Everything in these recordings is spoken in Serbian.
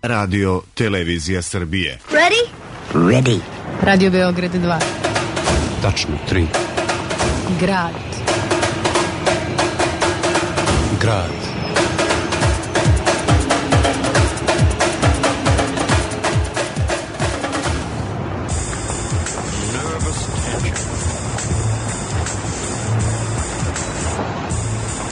Radio Televizija Srbije. Ready? Ready. Radio Beograd 2. Tačno 3. Grad. Grad.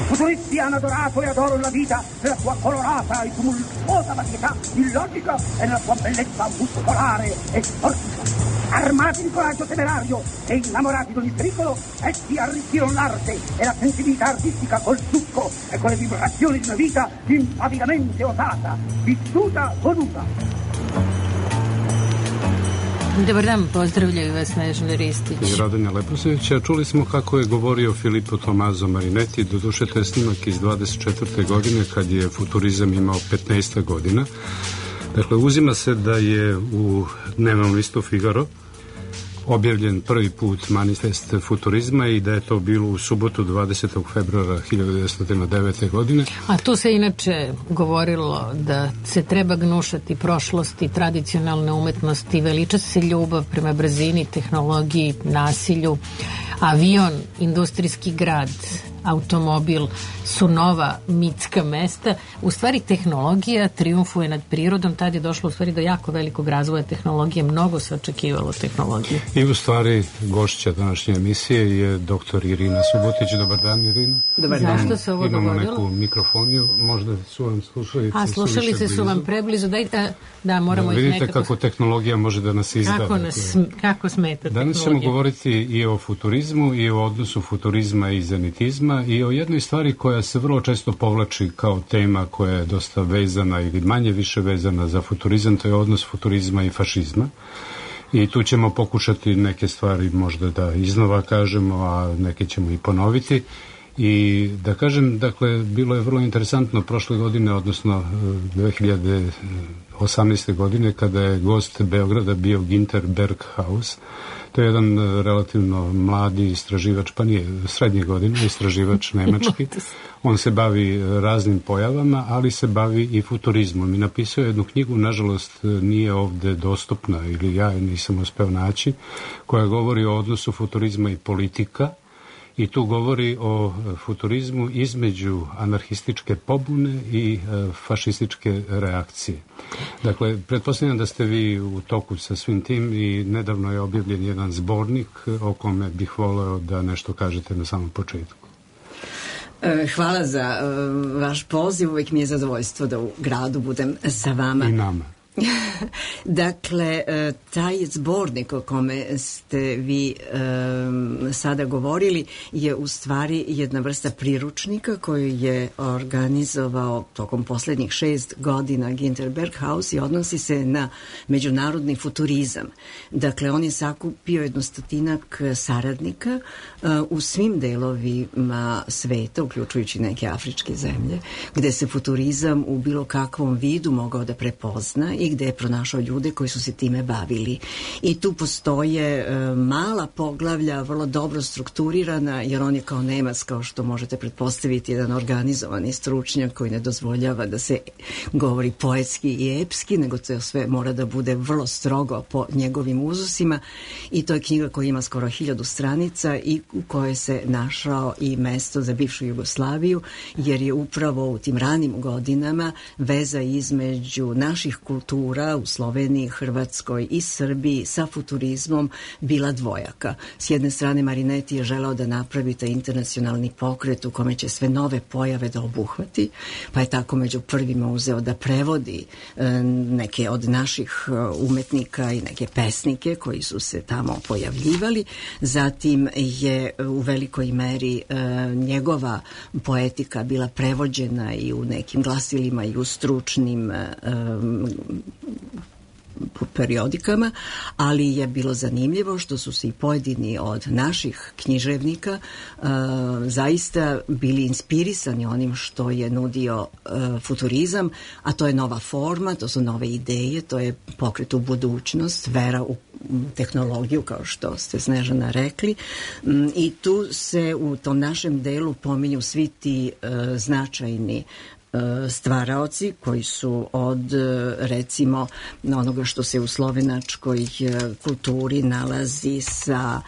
Futuristi hanno adorato e adoro la vita nella sua colorata e tumultuosa varietà illogica e nella sua bellezza muscolare e sportiva. Armati di coraggio temerario e innamorati di ogni pericolo, essi arricchirono l'arte e la sensibilità artistica col succo e con le vibrazioni di una vita impavidamente osata, vissuta, voluta. Dobar dan, pozdravljaju vas Snežana Ristić I Radonja Leposevića. Čuli smo kako je govorio Filippo Tommaso Marinetti, doduše to je snimak iz 24. godine kad je futurizam imao 15 godina. Dakle, uzima se da je u dnevnom listu Figaro objavljen prvi put manifest futurizma i da je to bilo u subotu 20. februara 1909. godine. A tu se inače govorilo da se treba gnušati prošlosti, tradicionalne umetnosti, veliča se ljubav prema brzini, tehnologiji, nasilju. Avion, industrijski grad, automobil su nova mitska mesta. U stvari tehnologija triumfuje nad prirodom, tad je došlo u stvari do jako velikog razvoja tehnologije, mnogo se očekivalo tehnologije. I u stvari gošća današnje emisije je doktor Irina Subotić. Dobar dan, Irina. Dobar dan. Zašto se ovo dogodilo? Imamo neku mikrofoniju, možda su vam slušalice. A slušalice su vam preblizu, dajte da moramo ih vidite nekako... kako tehnologija može da nas izda. Kako smeta tehnologija. Danas ćemo govoriti i o futurizmu i o odnosu futurizma i zenitizma i o jednoj stvari koja se vrlo često povlači kao tema koja je dosta vezana ili manje više vezana za futurizam, to je odnos futurizma i fašizma. I tu ćemo pokušati neke stvari možda da iznova kažemo, a neke ćemo i ponoviti. I da kažem, dakle, bilo je vrlo interesantno prošle godine, odnosno 2018. godine, kada je gost Beograda bio Günter Berghaus. To je jedan relativno mladi istraživač, pa nije srednje godine, istraživač nemački. On se bavi raznim pojavama, ali se bavi i futurizmom. I napisao je jednu knjigu, nažalost nije ovde dostupna, ili ja nisam uspeo naći, koja govori o odnosu futurizma i politika. I tu govori o futurizmu između anarhističke pobune i fašističke reakcije. Dakle, pretpostavljam da ste vi u toku sa svim tim i nedavno je objavljen jedan zbornik o kome bih voleo da nešto kažete na samom početku. Hvala za vaš poziv, uvijek mi je zadovoljstvo da u gradu budem sa vama. I nama. Dakle, taj zbornik o kome ste vi sada govorili je u stvari jedna vrsta priručnika koju je organizovao tokom posljednjih 6 godina Günter Berghaus i odnosi se na međunarodni futurizam. Dakle, on je sakupio 100 saradnika u svim delovima sveta, uključujući neke afričke zemlje, gde se futurizam u bilo kakvom vidu mogao da prepozna i gde je pronašao ljude koji su se time bavili. I tu postoje mala poglavlja, vrlo dobro strukturirana, jer on je kao Nemac, kao što možete pretpostaviti, jedan organizovani stručnjak koji ne dozvoljava da se govori poetski i epski, nego to sve mora da bude vrlo strogo po njegovim uzusima. I to je knjiga koja ima skoro 1000 stranica i u kojoj se našao i mesto za bivšu Jugoslaviju, jer je upravo u tim ranim godinama veza između naših kultura u Sloveniji, Hrvatskoj i Srbiji sa futurizmom bila dvojaka. S jedne strane, Marinetti je želeo da napravi taj internacionalni pokret u kome će sve nove pojave da obuhvati, pa je tako među prvima uzeo da prevodi neke od naših umetnika i neke pesnike koji su se tamo pojavljivali. Zatim je u velikoj meri njegova poetika bila prevođena i u nekim glasilima i u stručnim periodikama, ali je bilo zanimljivo što su se i pojedini od naših književnika zaista bili inspirisani onim što je nudio futurizam, a to je nova forma, to su nove ideje, to je pokret u budućnost, vera u tehnologiju, kao što ste, Snežana, rekli. I tu se u tom našem delu pominju svi ti značajni stvaraoci koji su od recimo onoga što se u slovenačkoj kulturi nalazi sa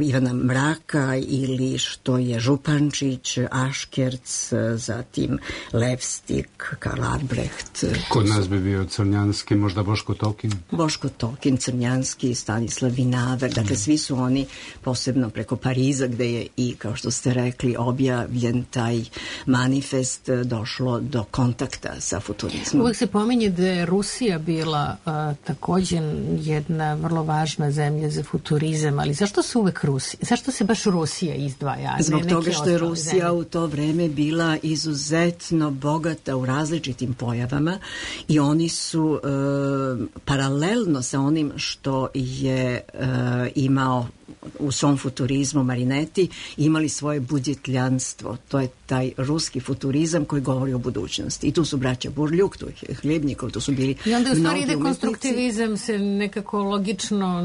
Ivana Mraka ili što je Župančić, Aškerc, zatim Levstik, Karl Albrecht. Kod nas bi bio Crnjanski, možda Boško Tokin. Boško Tokin, Crnjanski, Stanislav Vinaver, dakle svi su oni posebno preko Pariza gde je i, kao što ste rekli, objavljen taj manifest, došlo do kontakta sa futurizmom. Uvijek se pominje da je Rusija bila također jedna vrlo važna zemlja za futurizam, ali zašto se uvek zašto se baš Rusija izdvaja? Zbog toga što je Rusija u to vreme bila izuzetno bogata u različitim pojavama i oni su paralelno sa onim što je imao u svom futurizmu Marinetti, imali svoje budjetljanstvo. To je taj ruski futurizam koji govori o budućnosti. I tu su braća Burljuk, tu je Hljebnikov, tu su bili i onda u stvari ide konstruktivizam se nekako logično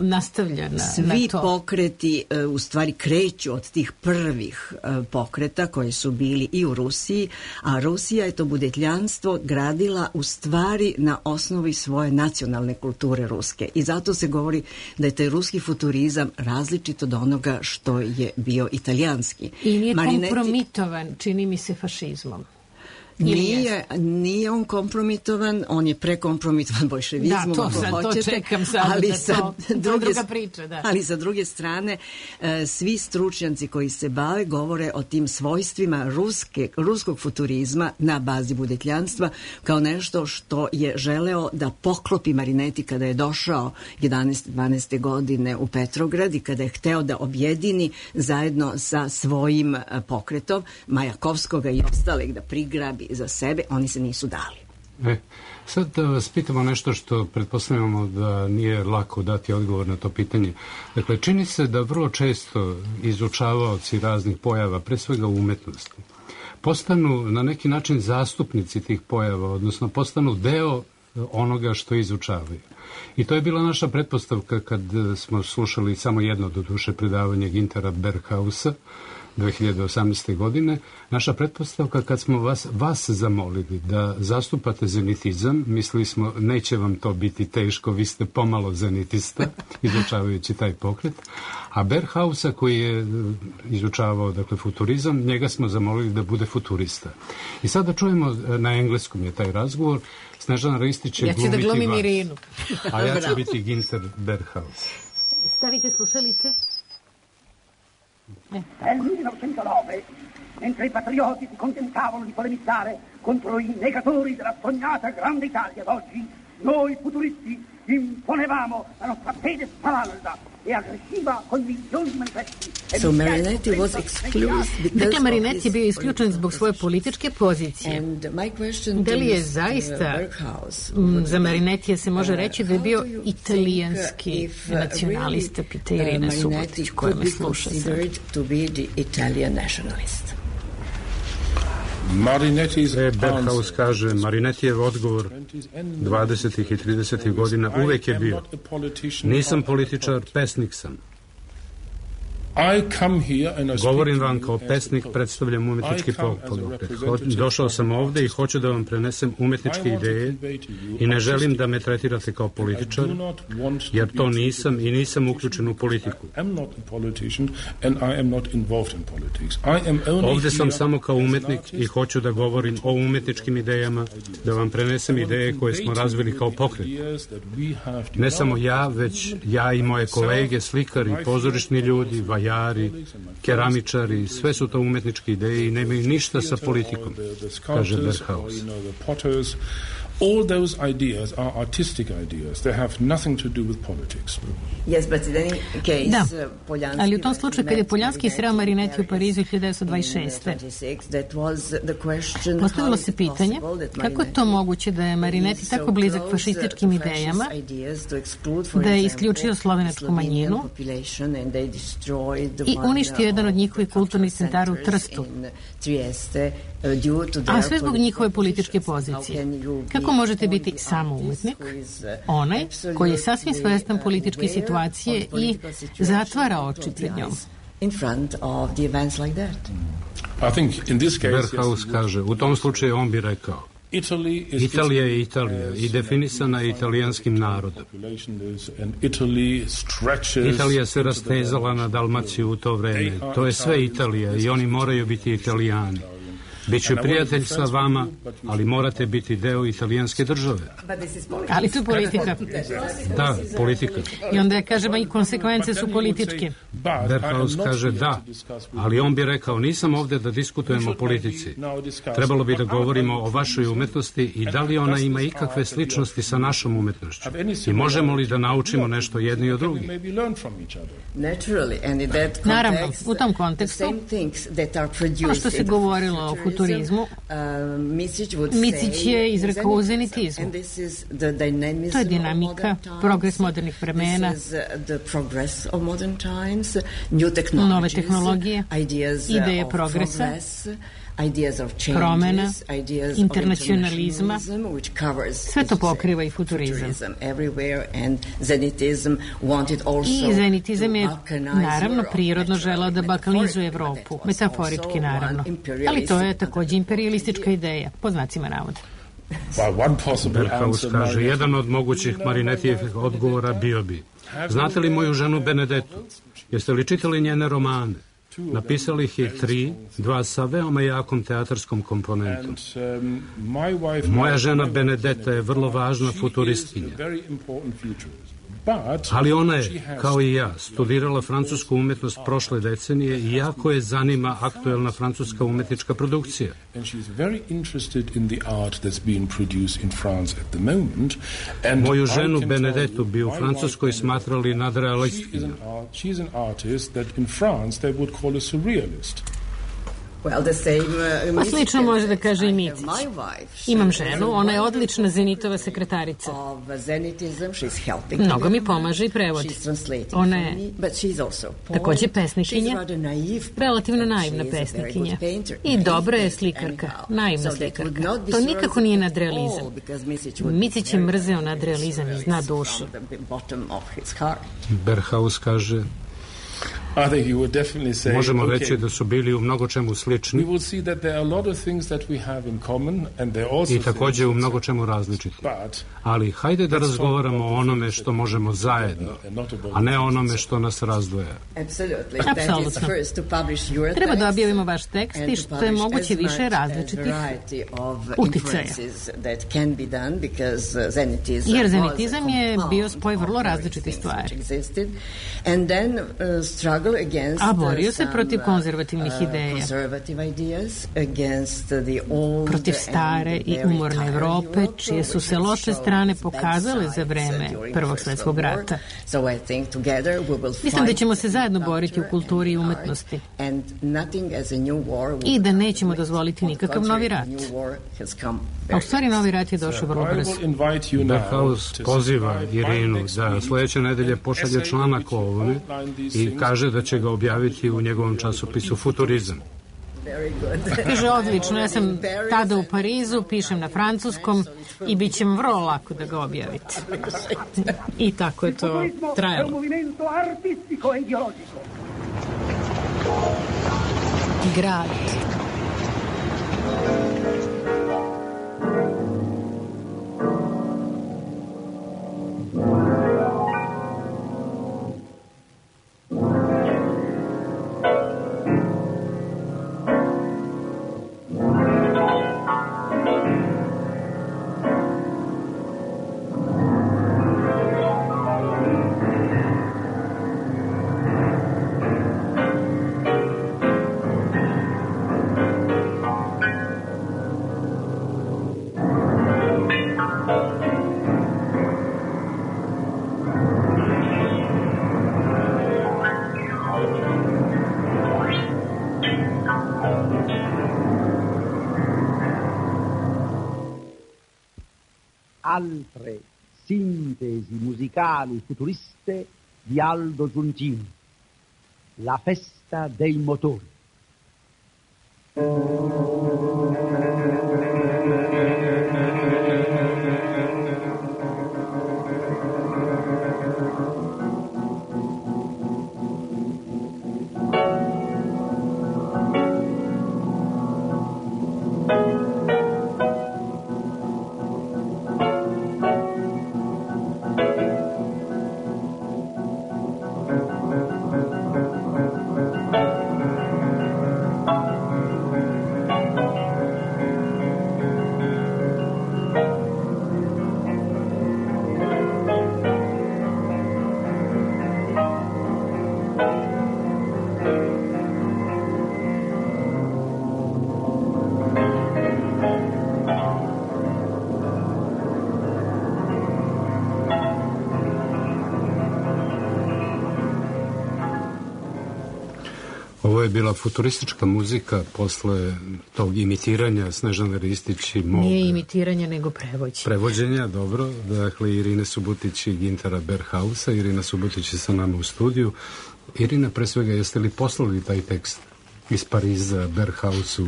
nastavlja na to. Svi pokreti u stvari kreću od tih prvih pokreta koji su bili i u Rusiji, a Rusija je to budjetljanstvo gradila u stvari na osnovi svoje nacionalne kulture ruske. I zato se govori da je taj ruski futurizam različit od onoga što je bio italijanski. I nije kompromitovan, čini mi se, fašizmom. Nije on kompromitovan, on je prekompromitovan bolševizmom, to čekam sad, ali druga priča, da. Ali sa druge strane, svi stručnjaci koji se bave govore o tim svojstvima ruskog futurizma na bazi budjetljanstva kao nešto što je želeo da poklopi Marinetti kada je došao 11-12. godine u Petrograd i kada je hteo da objedini zajedno sa svojim pokretom Majakovskoga i ostalih da prigrabi za sebe, oni se nisu dali. Sad da vas pitamo nešto što pretpostavljamo da nije lako dati odgovor na to pitanje. Dakle, čini se da vrlo često izučavaoci raznih pojava, pre svega u umetnosti, postanu na neki način zastupnici tih pojava, odnosno postanu deo onoga što izučavaju. I to je bila naša pretpostavka kad smo slušali samo jedno doduše predavanje Gintera Berghausa 2018. godine. Naša pretpostavka kad smo vas zamolili da zastupate zenitizam, mislili smo neće vam to biti teško, vi ste pomalo zenitista izučavajući taj pokret, a Berghausa koji je izučavao dakle futurizam, njega smo zamolili da bude futurista. I sada čujemo, na engleskom je taj razgovor, Snežana Ristić će glumiti vas. Ja ću da glumim Irinu. A ja ću biti Ginter Berghaus. Stavite slušalice. Nel 1909, mentre i patrioti si contentavano di polemizzare contro i negatori della sognata grande Italia d'oggi, noi futuristi imponevamo la nostra fede spavalda e aggressiva con milioni di manifesti. So Marinetti was excluded. Dakle, Marinetti je bio isključen zbog svoje političke pozicije. Da li je zaista za Marinettija se može reći da je bio italijanski nacionalista, pita Irina Subotić, koja me sluša sad. Berghaus kaže, Marinettijev odgovor 20. i 30. godina uvek je bio: nisam političar, pesnik sam. Govorim vam kao pesnik, predstavljam umetnički pokret. Došao sam ovde i hoću da vam prenesem umetničke ideje i ne želim da me tretirate kao političar, jer to nisam i nisam uključen u politiku. Ovde sam samo kao umetnik i hoću da govorim o umetničkim idejama, da vam prenesem ideje koje smo razvili kao pokret. Ne samo ja, već ja i moje kolege, slikari, pozorišni ljudi, vajari, keramičari, sve su to umetničke ideje i nemaju ništa sa politikom, kaže Berghaus. All those ideas are artistic ideas. They have nothing to do with politics. Yes, but in any case, da, ali u tom slučaju kad je Poljanski sreo Marinetti u Parizu 1926. Postavilo se pitanje kako je to moguće da je Marinetti tako blizak fašističkim idejama, da je isključio slovenačku manjinu i uništio jedan od njihovih kulturnih centara u Trstu, a sve zbog njihove političke pozicije. Kako možete biti samo umetnik, onaj koji je sasvim svestan političke situacije i zatvara oči pred njom? Berghaus kaže, u tom slučaju on bi rekao, Italija je Italija i definisana je italijanskim narodom. Italija se rastezala na Dalmaciju u to vreme. To je sve Italija i oni moraju biti Italijani. Biću prijatelj sa vama, ali morate biti deo italijanske države. Ali to je politika. Da, politika. I onda kažemo i konsekvence su političke. Berghaus kaže da, ali on bi rekao, nisam ovde da diskutujemo o politici. Trebalo bi da govorimo o vašoj umetnosti i da li ona ima ikakve sličnosti sa našom umetnošću. I možemo li da naučimo nešto jedni od drugih. Naravno, u tom kontekstu, ono što se govorilo o futurizmu, Micić je izrekao o zenitizmu. To je dinamika, progres modernih vremena, nove tehnologije, ideje progresa, promena, internacionalizma, sve to pokriva i futurizam. I zenitizam je naravno prirodno želeo da balkanizuje Evropu, metaforički naravno, ali to je takođe imperijalistička ideja, po znacima navoda. Berghaus kaže, jedan od mogućih Marinetijevih odgovora bio bi, znate li moju ženu Benedettu? Jeste li čitali njene romane? Napisali ih je 3, 2 sa veoma jakom teatarskom komponentom. Moja žena Benedetta je vrlo važna futuristkinja. Ali ona je, kao i ja, studirala francusku umetnost prošle decenije i jako je zanima aktuelna francuska umetnička produkcija. Moju ženu Benedettu bi u Francuskoj smatrali nadrealistkinjom. Slično može da kaže i Micić. Imam ženu, ona je odlična Zenitova sekretarica. Mnogo mi pomaže i prevodi. Ona je takođe pesnikinja, relativno naivna pesnikinja. I dobra je slikarka, naivna slikarka. To nikako nije nadrealizam. Micić je mrzeo nadrealizam iz dna duše. Berghaus kaže, možemo reći da su bili u mnogo čemu slični i takođe u mnogo čemu različiti. Ali hajde da razgovaramo o onome što možemo zajedno, a ne o onome što nas razdvaja. Apsolutno. Treba da objavimo vaš tekst i što je moguće više različitih uticaja. Jer zenitizam je bio spoj vrlo različitih stvari. A borio se protiv konzervativnih ideja, protiv stare i umorne Evrope, čije su se loše strane pokazale za vreme Prvog svetskog rata. Mislim da ćemo se zajedno boriti u kulturi i umetnosti i da nećemo dozvoliti nikakav novi rat. A u stvari novi rat je došao vrlo brzo. Berghaus poziva Irinu da sledeće nedelje pošalje članak o ovome i kaže da će ga objaviti u njegovom časopisu Futurizam. Kaže, odlično, ja sam tada u Parizu, pišem na francuskom i bit će vam vrlo lako da ga objavite. I tako je to trajalo. Grad. Altre sintesi musicali futuriste di Aldo Giuntini. La festa dei motori. je bila futuristička muzika posle tog imitiranja Snežane Ristić i mog... Nije imitiranje, nego prevođenje. Prevođenja, dobro. Dakle, Irine Subotić i Gintera Berghausa. Irina Subotić je sa nama u studiju. Irina, pre svega, jeste li poslali taj tekst iz Pariza Berghausu,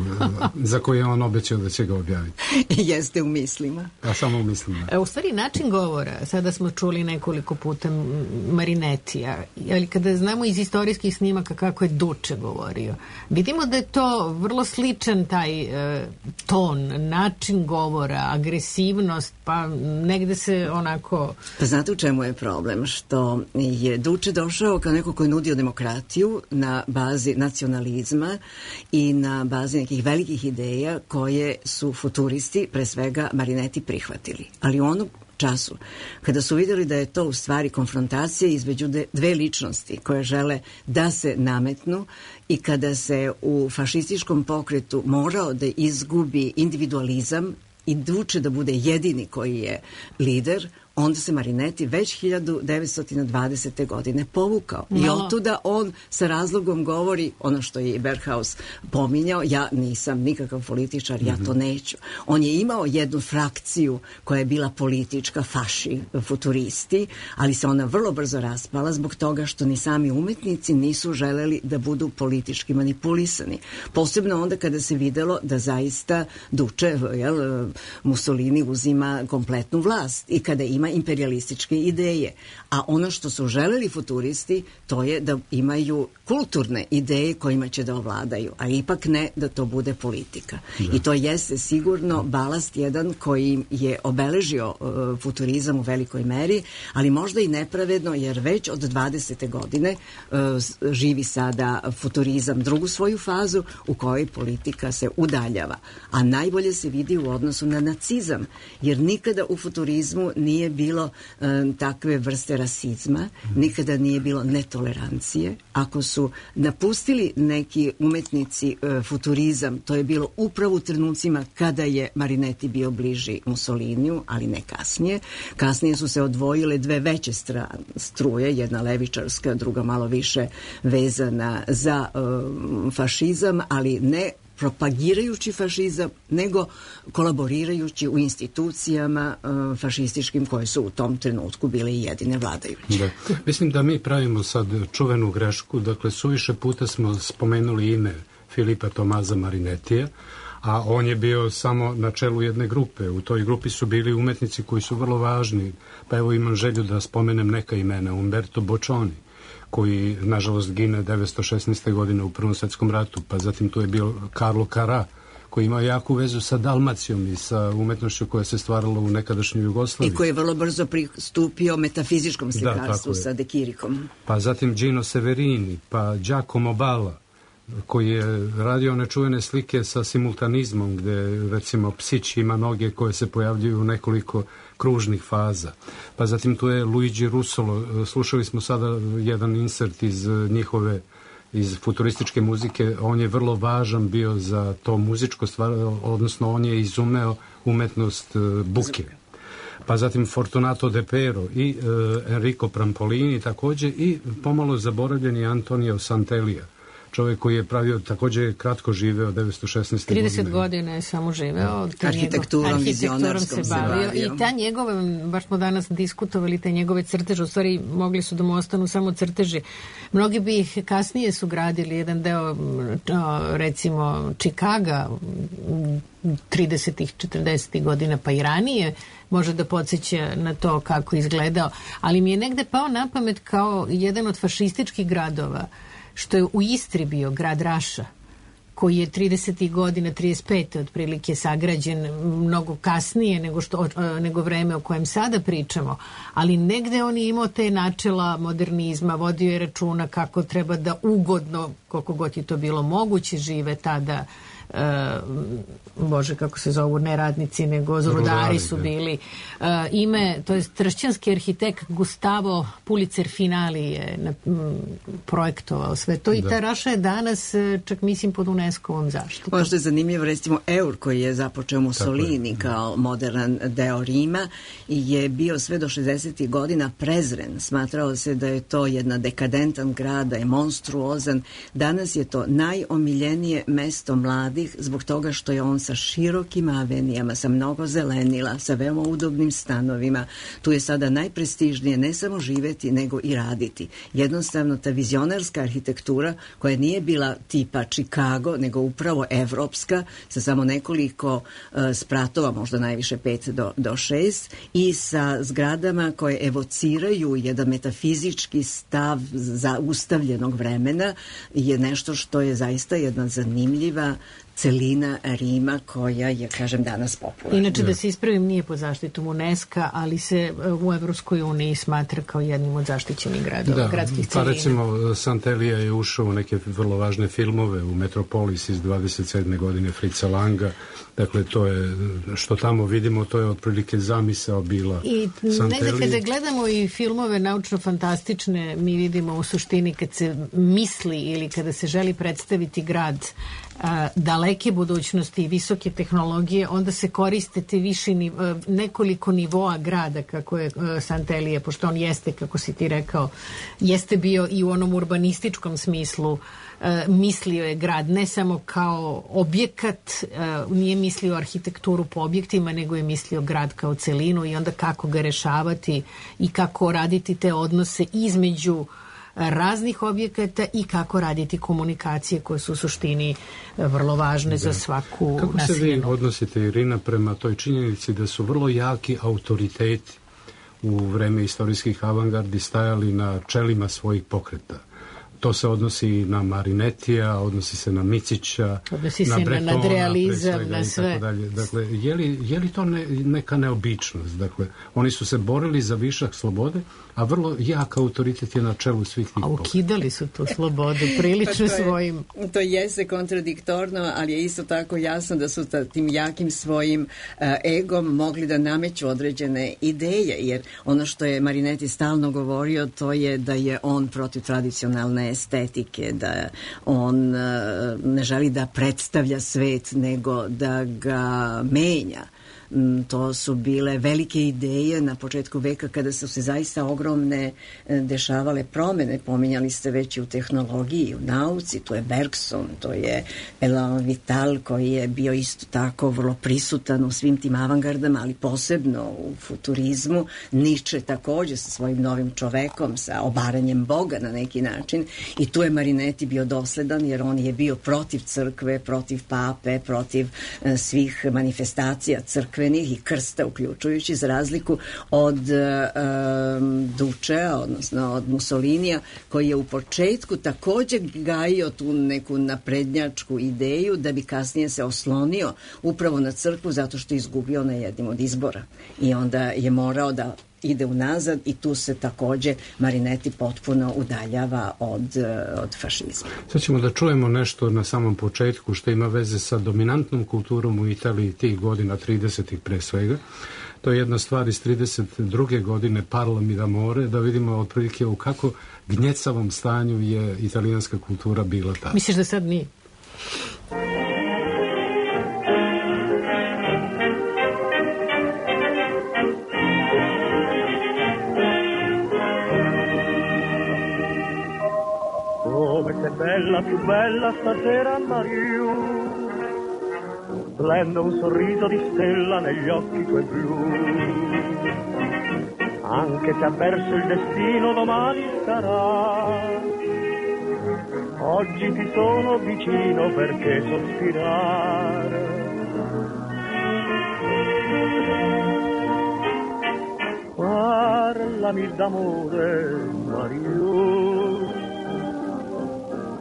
za koji je on obećao da će ga objaviti? Jeste u mislima. A samo u mislima. U stvari, način govora, sada smo čuli nekoliko puta Marinetija, ali kada znamo iz istorijskih snimaka kako je Duče govorio, vidimo da je to vrlo sličan taj ton, način govora, agresivnost, pa negde se onako... Pa znate u čemu je problem? Što je Duče došao kao neko koji je nudio demokratiju na bazi nacionalizma i na bazi nekih velikih ideja koje su futuristi, pre svega Marineti, prihvatili. Ali u onom času, kada su vidjeli da je to u stvari konfrontacija između dve ličnosti koje žele da se nametnu i kada se u fašističkom pokretu morao da izgubi individualizam i Duče da bude jedini koji je lider, onda se Marineti već 1920. godine povukao. I otuda on sa razlogom govori ono što je Berghaus pominjao, ja nisam nikakav političar, ja to neću. On je imao jednu frakciju koja je bila politička, faši, futuristi, ali se ona vrlo brzo raspala zbog toga što ni sami umetnici nisu želeli da budu politički manipulisani. Posebno onda kada se videlo da zaista Duče, Mussolini uzima kompletnu vlast i kada ima imperialističke ideje. A ono što su želeli futuristi, to je da imaju kulturne ideje kojima će da ovladaju, a ipak ne da to bude politika. Da. I to jeste sigurno balast jedan koji je obeležio futurizam u velikoj meri, ali možda i nepravedno, jer već od 20. godine živi sada futurizam drugu svoju fazu u kojoj politika se udaljava. A najbolje se vidi u odnosu na nacizam, jer nikada u futurizmu nije bilo takve vrste rasizma, nikada nije bilo netolerancije. Ako su napustili neki umetnici futurizam, to je bilo upravo u trenucima kada je Marineti bio bliži Mussoliniju, ali ne kasnije. Kasnije su se odvojile dve veće struje, jedna levičarska, druga malo više vezana za fašizam, ali ne propagirajući fašizam, nego kolaborirajući u institucijama fašističkim koje su u tom trenutku bile i jedine vladajuće. Da. Mislim da mi pravimo sad čuvenu grešku, dakle suviše puta smo spomenuli ime Filipa Tomaza Marinetija, a on je bio samo na čelu jedne grupe. U toj grupi su bili umetnici koji su vrlo važni, pa evo imam želju da spomenem neka imena. Umberto Boccioni, koji nažalost gine 1916. godine u Prvom svetskom ratu, pa zatim tu je bio Carlo Carrà, koji ima jaku vezu sa Dalmacijom i sa umetnošću koja se stvarala u nekadašnjoj Jugoslaviji. I koji je vrlo brzo pristupio metafizičkom slikarstvu sa De Chirikom. Pa zatim Gino Severini, pa Giacomo Balla, koji je radio nečuvene slike sa simultanizmom, gde recimo psić ima noge koje se pojavljuju u nekoliko kružnih faza. Pa zatim tu je Luigi Russolo, slušali smo sada jedan insert iz njihove, iz futurističke muzike, on je vrlo važan bio za to muzičko stvar, odnosno on je izumeo umetnost buke. Pa zatim Fortunato De Pero i Enrico Prampolini takođe i pomalo zaboravljeni Antonio Sant'Elia, čovjek koji je pravio, također kratko živeo 1916. 30 godina je samo živeo. Arhitekturom se bavio. I ta njegove, baš smo danas diskutovali, te njegove crteže, u stvari mogli su da mu ostanu samo crteži. Mnogi bi ih kasnije su gradili, jedan deo, recimo, Čikaga, 30-ih, 40-ih godina, pa i ranije, može da podsjeća na to kako izgledao. Ali mi je negde pao na pamet kao jedan od fašističkih gradova, što je u Istri bio grad Raša, koji je 30. godina, 35. otprilike sagrađen mnogo kasnije nego vreme o kojem sada pričamo, ali negde on je imao te načela modernizma, vodio je računa kako treba da ugodno, koliko god je to bilo moguće, žive tada Bože, kako se zovu, ne radnici, nego rudari su bili. Ime, to je tršćanski arhitekt Gustavo Pulitzer Finali je projektovao sve to i ta Raša je danas čak mislim pod UNESCO-vom zaštitom. Ono što je zanimljivo, recimo Eur koji je započeo Mussolini kao modern deo Rima je bio sve do 60. godina prezren. Smatrao se da je to jedna dekadentan grad, da je monstruozan. Danas je to najomiljenije mesto mladih zbog toga što je on sa širokim avenijama, sa mnogo zelenila, sa veoma udobnim stanovima. Tu je sada najprestižnije ne samo živeti, nego i raditi. Jednostavno, ta vizionarska arhitektura koja nije bila tipa Chicago, nego upravo evropska, sa samo nekoliko spratova, možda najviše 5 do 6, i sa zgradama koje evociraju jedan metafizički stav zaustavljenog vremena, je nešto što je zaista jedna zanimljiva celina Rima koja je, kažem, danas popularna. Inače, da se ispravim, nije pod zaštitom UNESCO, ali se u Evropskoj uniji smatra kao jednim od zaštićenih gradova, gradskih celina. Pa recimo, Santelija je ušao u neke vrlo važne filmove, u Metropolis iz 27. godine Fritza Langa. Dakle, to je, što tamo vidimo, to je otprilike zamisao bila Santelije. I kada gledamo i filmove naučno-fantastične, mi vidimo u suštini kad se misli ili kada se želi predstaviti grad daleke budućnosti i visoke tehnologije, onda se koristite više nekoliko nivoa grada kako je Santelije, pošto on jeste, kako si ti rekao, jeste bio i u onom urbanističkom smislu, mislio je grad ne samo kao objekat, nije mislio arhitekturu po objektima, nego je mislio grad kao celinu i onda kako ga rešavati i kako raditi te odnose između raznih objekata i kako raditi komunikacije koje su u suštini vrlo važne za svaku naseljenu. Kako se vi odnosite, Irina, prema toj činjenici da su vrlo jaki autoriteti u vreme istorijskih avangardi stajali na čelima svojih pokreta? To se odnosi na Marinetija, odnosi se na Micića, odnosi na se Bretona, na nadrealizam, na sve. Dakle, je li to neka neobičnost? Dakle, oni su se borili za višak slobode, a vrlo jak autoritet je na čelu svih tih pokreta. A ukidali su tu slobodu prilično svojim. To jeste kontradiktorno, ali je isto tako jasno da su tim jakim svojim egom mogli da nameću određene ideje, jer ono što je Marinetti stalno govorio, to je da je on protiv tradicionalne estetike, da on ne želi da predstavlja svet, nego da ga menja. To su bile velike ideje na početku veka kada su se zaista ogromne dešavale promene. Pominjali ste već i u tehnologiji, u nauci, to je Bergson, to je Elan Vital koji je bio isto tako vrlo prisutan u svim tim avangardama, ali posebno u futurizmu. Nietzsche takođe sa svojim novim čovekom, sa obaranjem Boga na neki način, i tu je Marinetti bio dosledan jer on je bio protiv crkve, protiv pape, protiv svih manifestacija crkve i krsta uključujući, za razliku od Dučea, odnosno od Mussolinija, koji je u početku također gajio tu neku naprednjačku ideju da bi kasnije se oslonio upravo na crkvu zato što je izgubio na jednim od izbora i onda je morao da ide unazad i tu se također Marinetti potpuno udaljava od fašizma. Sad ćemo da čujemo nešto na samom početku što ima veze sa dominantnom kulturom u Italiji tih godina, 30-ih pre svega. To je jedna stvar iz 32. godine, Parlo mi d'amore, da vidimo otprilike u kako gnjecavom stanju je italijanska kultura bila tada. Misliš da sad nije? Come sei bella, più bella stasera Mariù, splende un sorriso di stella negli occhi tuoi blu. Anche se ha perso il destino domani sarà, oggi ti sono vicino perché sospirare. Parlami d'amore Mariù,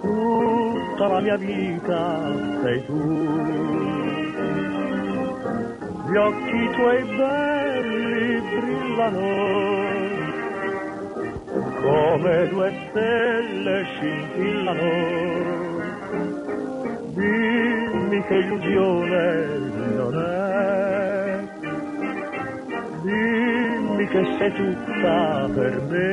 tutta la mia vita sei tu, gli occhi tuoi belli brillano, come due stelle scintillano, Dimmi che illusione non è, dimmi che sei tutta per me.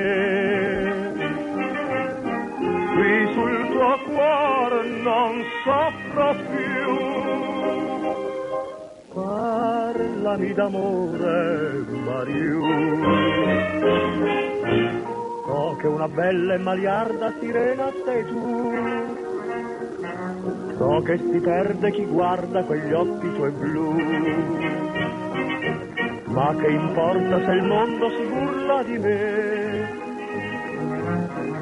Qui sul tuo cuore non soffro più, parlami d'amore, Mariù. So che una bella e maliarda sirena sei tu, so che si perde chi guarda quegli occhi tuoi blu, ma che importa se il mondo si burla di me,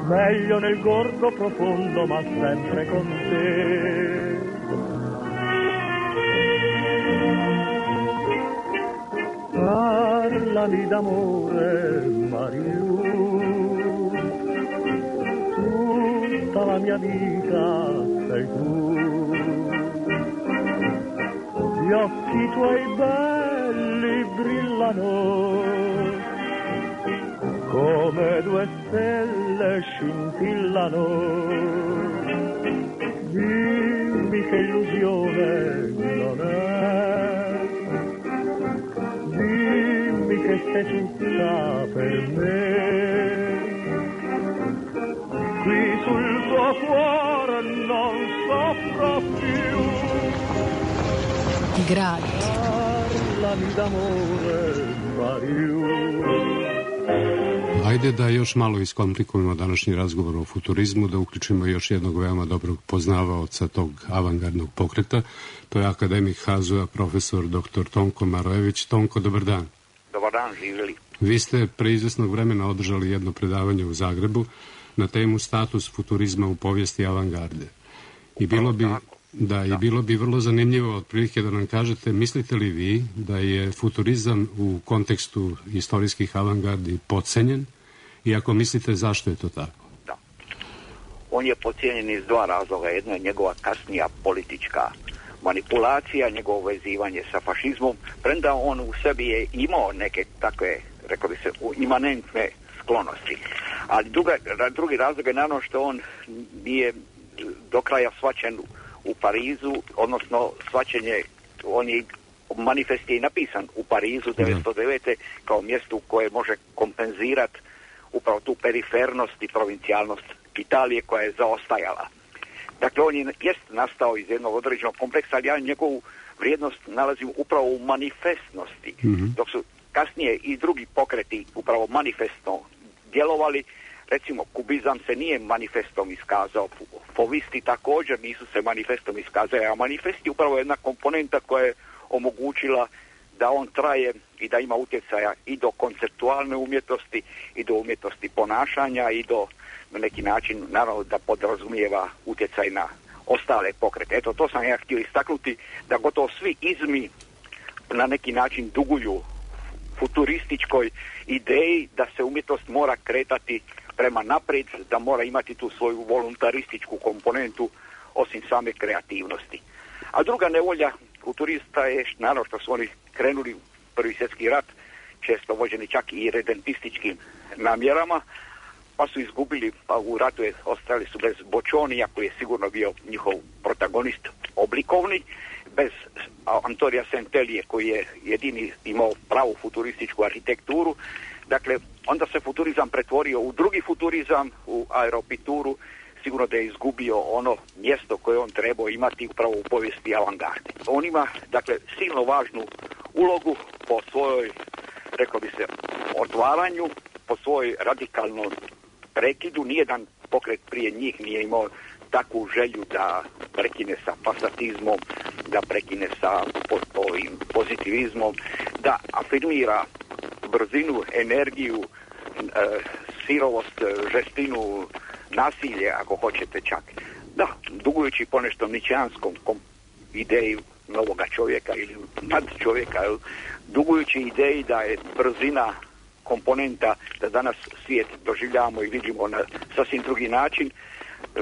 meglio nel gorgo profondo ma sempre con te. Parlami d'amore, Mariù, tutta la mia vita sei tu, gli occhi tuoi belli brillano, come due stelle scintillano, dimmi che illusione non è, dimmi che sei tutta per me. Qui sul tuo cuore non soffro più. Grazie. Parlami d'amore, Mariù. Ajde da još malo iskomplikujemo današnji razgovor o futurizmu, da uključimo još jednog veoma dobrog poznavaoca tog avangardnog pokreta. To je akademik HAZU-a, profesor dr. Tonko Marojević. Tonko, dobar dan. Dobar dan, živjeli. Vi ste pre izvesnog vremena održali jedno predavanje u Zagrebu na temu status futurizma u povijesti avangarde. I bilo bi vrlo zanimljivo otprilike da nam kažete, mislite li vi da je futurizam u kontekstu istorijskih avangardi podcenjen i ako mislite zašto je to tako? Da. On je podcijenjen iz dva razloga. Jedno je njegova kasnija politička manipulacija, njegovo vezivanje sa fašizmom, premda on u sebi je imao neke takve, rekao bi se, imanentne sklonosti. Ali drugi razlog je naravno što on nije do kraja shvaćen u Parizu, odnosno shvaćenje, on je manifest je i napisan u Parizu 1909. kao mjestu koje može kompenzirati upravo tu perifernost i provincijalnost Italije koja je zaostajala. Dakle, on je jest nastao iz jednog određenog kompleksa, ali ja njegovu vrijednost nalazim upravo u manifestnosti, dok su kasnije i drugi pokreti upravo manifestno djelovali. Recimo, kubizam se nije manifestom iskazao, fovisti također nisu se manifestom iskazali, a manifest je upravo jedna komponenta koja je omogućila da on traje i da ima utjecaja i do konceptualne umjetnosti i do umjetnosti ponašanja i do na neki način, naravno, da podrazumijeva utjecaj na ostale pokrete. Eto, to sam ja htio istaknuti, da gotovo svi izmi na neki način duguju futurističkoj ideji da se umjetnost mora kretati prema naprijed, da mora imati tu svoju voluntarističku komponentu osim same kreativnosti. A druga nevolja futurista je, naravno, što su oni krenuli u Prvi svjetski rat, često vođeni čak i redentističkim namjerama, pa su izgubili, pa u ratu ostali su bez Boccionija, koji je sigurno bio njihov protagonist oblikovni, bez Antonia Centellije, koji je jedini imao pravu futurističku arhitekturu. Dakle, onda se futurizam pretvorio u drugi futurizam, u aeropituru, sigurno da je izgubio ono mjesto koje on trebao imati upravo u povijesti avangarde. On ima, dakle, silno važnu ulogu po svojoj, rekao bi se, otvaranju, po svojoj radikalnom prekidu. Nijedan pokret prije njih nije imao takvu želju da prekine sa pasatizmom, da prekine sa ovim pozitivizmom, da afirmira brzinu, energiju, sirovost, žestinu, nasilje, ako hoćete čak. Da, dugujući ponešto ničeanskom ideji novoga čovjeka ili nad čovjeka, dugujući ideji da je brzina komponenta, da danas svijet doživljavamo i vidimo na sasvim drugi način,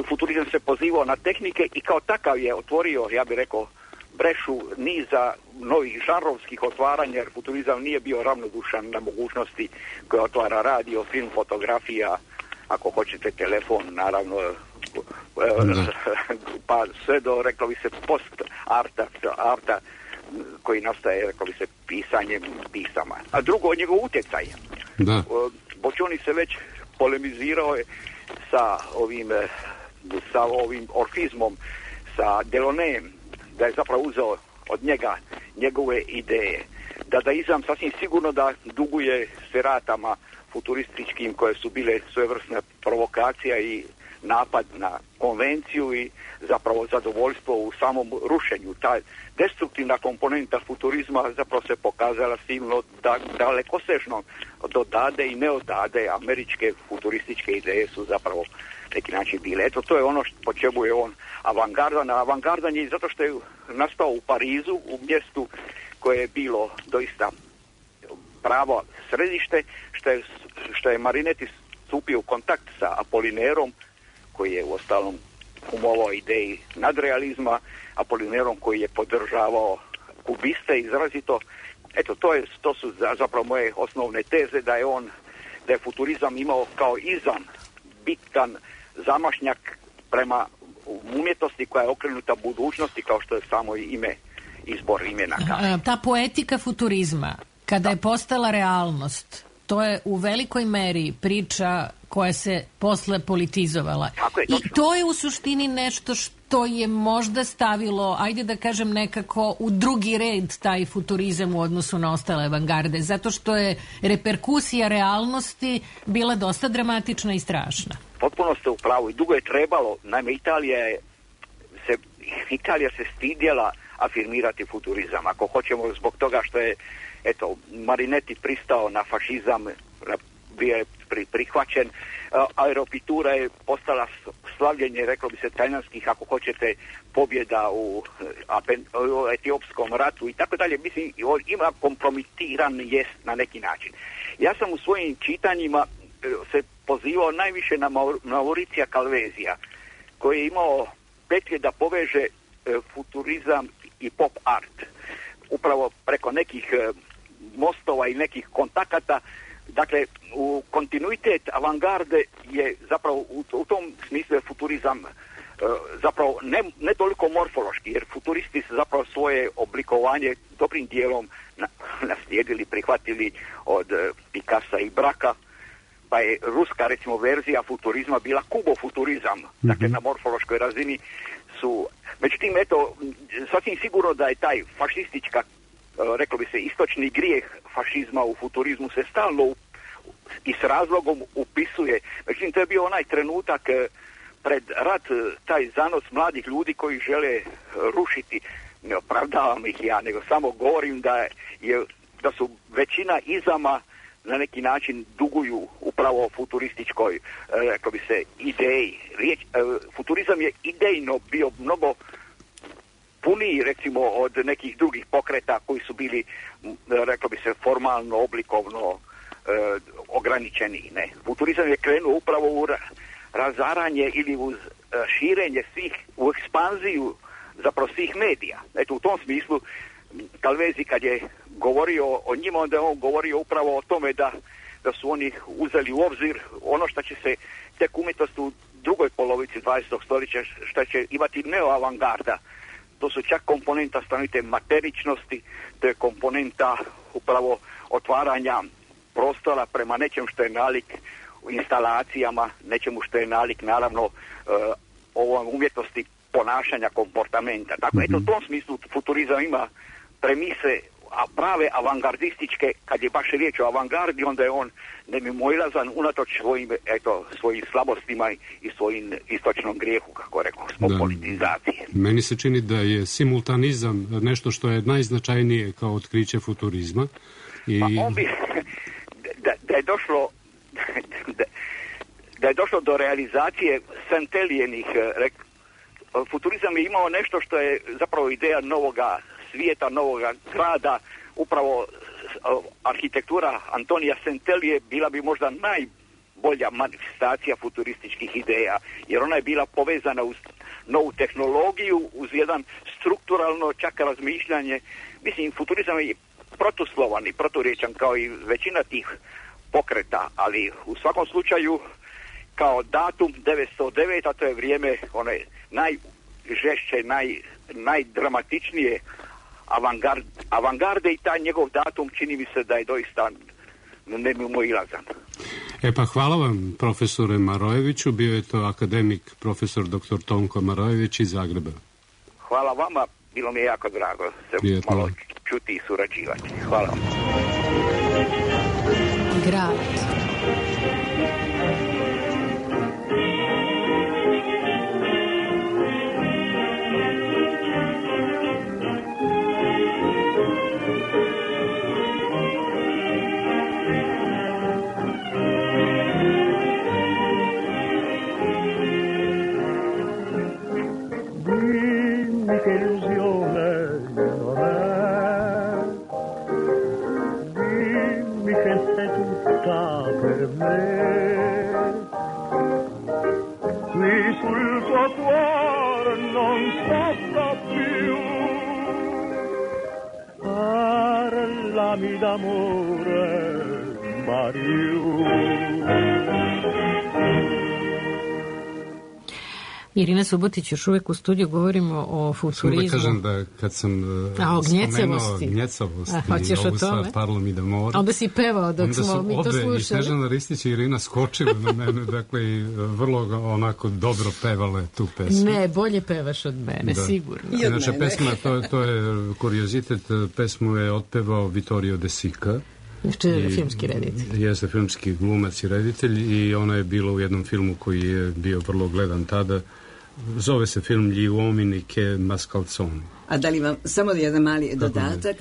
futurizam se pozivao na tehnike i kao takav je otvorio, ja bih rekao, brešu niza novih žanrovskih otvaranja, jer futurizam nije bio ravnodušan na mogućnosti koje otvara radio, film, fotografija, ako hoćete telefon, naravno pa sve do, reklo bi se, post-arta koji nastaje, reklo bi se, pisanjem pisama. A drugo, njegov utjecaj. Da. Boccioni se već polemizirao je sa ovim orfizmom, sa Delaunayem, da je zapravo uzeo od njega njegove ideje. Dadaizam sasvim sigurno da duguje seratama futurističkim koje su bile svojevrsna provokacija i napad na konvenciju i zapravo zadovoljstvo u samom rušenju. Ta destruktivna komponenta futurizma zapravo se pokazala silno dalekosežno do dade i neodade. Američke futurističke ideje su zapravo neki način bile. Eto, to je ono po čemu je on avangardan. Avangardan je zato što je nastao u Parizu, u mjestu koje je bilo doista pravo središte, što je Marinetti stupio u kontakt sa Apolinerom, koji je uostalom umovao ideji nadrealizma, Apolinerom koji je podržavao kubiste izrazito. Eto, to su zapravo moje osnovne teze, da je futurizam imao kao izam bitan zamašnjak prema umjetnosti koja je okrenuta budućnosti, kao što je samo izbor imena kaže. Ta poetika futurizma, kada je postala realnost, to je u velikoj meri priča koja se posle politizovala. I to je u suštini nešto što je možda stavilo, ajde da kažem nekako, u drugi red taj futurizam u odnosu na ostale avangarde, zato što je reperkusija realnosti bila dosta dramatična i strašna. Potpuno ste u pravu i dugo je trebalo. Naime, Italija se stidjela afirmirati futurizam. Ako hoćemo, zbog toga što je Marinetti pristao na fašizam, bio je prihvaćen, aeropitura je postala slavljenje, reklo bi se, talijanskih, ako hoćete, pobjeda u etiopskom ratu i tako dalje. Mislim, ima kompromitiran jest na neki način. Ja sam u svojim čitanjima se pozivao najviše na Mauricija Calvezija, koji je imao petlje da poveže futurizam i pop art. Upravo preko nekih mostova i nekih kontakata. Dakle, u kontinuitet avangarde je zapravo u tom smislu je futurizam zapravo ne toliko morfološki, jer futuristi su zapravo svoje oblikovanje dobrim dijelom naslijedili, prihvatili od Picassa i Braka, pa je ruska, recimo, verzija futurizma bila kubofuturizam, dakle na morfološkoj razini su. Međutim, eto, sasvim sigurno da je taj fašistička, reklo bi se, istočni grijeh fašizma u futurizmu se stalno i s razlogom upisuje. Međutim, to je bio onaj trenutak pred rat, taj zanos mladih ljudi koji žele rušiti. Ne opravdavam ih ja, nego samo govorim da su većina izama na neki način duguju upravo futurističkoj, reklo bi se, ideji. Futurizam je idejno bio mnogo puniji, recimo, od nekih drugih pokreta koji su bili, reklo bi se, formalno, oblikovno ograničeni. Ne. Futurizam je krenuo upravo u razaranje ili u širenje svih, u ekspanziju zapravo svih medija. Eto, u tom smislu Calvezi kad je govorio o njima, onda je on govorio upravo o tome da su oni uzeli u obzir ono što će se tek umjetnost u drugoj polovici 20. stoljeća, što će imati neoavangarda. To su čak komponenta stanovite materičnosti, to je komponenta upravo otvaranja prostora prema nečem što je nalik u instalacijama, nečemu što je nalik, naravno, ovom umjetnosti ponašanja, komportamenta. Dakle, eto, u tom smislu futurizam ima premise, a prave avangardističke, kad je baš riječ o avangardi, onda je on nemimoilazan unatoč svojim slabostima i svojim istočnom grijehu, kako rekao, zbog politizacije. Meni se čini da je simultanizam nešto što je najznačajnije kao otkriće futurizma. Pa on bi, da je došlo do realizacije Santelijenih, futurizam je imao nešto što je zapravo ideja novoga svijeta, novoga grada, upravo arhitektura Antonija Santelije bila bi možda najbolja manifestacija futurističkih ideja, jer ona je bila povezana uz novu tehnologiju, uz jedan strukturalno čak razmišljanje. Mislim, futurizam je protuslovan i proturječan kao i većina tih pokreta, ali u svakom slučaju kao datum 909, a to je vrijeme one najžešće, najdramatičnije avangarde i taj njegov datum čini mi se da je doista nemimoilazan. Pa hvala vam, profesore Marojeviću, bio je to akademik profesor dr. Tonko Marojević iz Zagreba. Hvala vama, bilo mi je jako drago se Prijetno. malo čuti i surađivati. Hvala vam. Grad. Dimmi che illusione non è, dimmi che sei tutta per me, qui sul tuo cuore non soffra più, parlami d'amore, Mariù. Irina Subotić još uvijek u studiju, govorimo o futurizmu. Da kažem da kad sam spomenuo gnjecavost i ovu stvar parlami d'amore, onda si pevao dok smo mi to slušali. Onda su obe, i Snežana Ristić i Irina skočile na mene, dakle i vrlo onako dobro pevale tu pesmu. Ne, bolje pevaš od mene, da. Sigurno. Inače, pesma, to je kuriozitet, pesmu je otpevao Vittorio De Sica. Što je filmski reditelj. Jeste filmski glumac i reditelj i ona je bila u jednom filmu koji je bio vrlo gledan tada. Zove se film Gli uomini che mascalzoni. A da li vam samo jedan mali dodatak,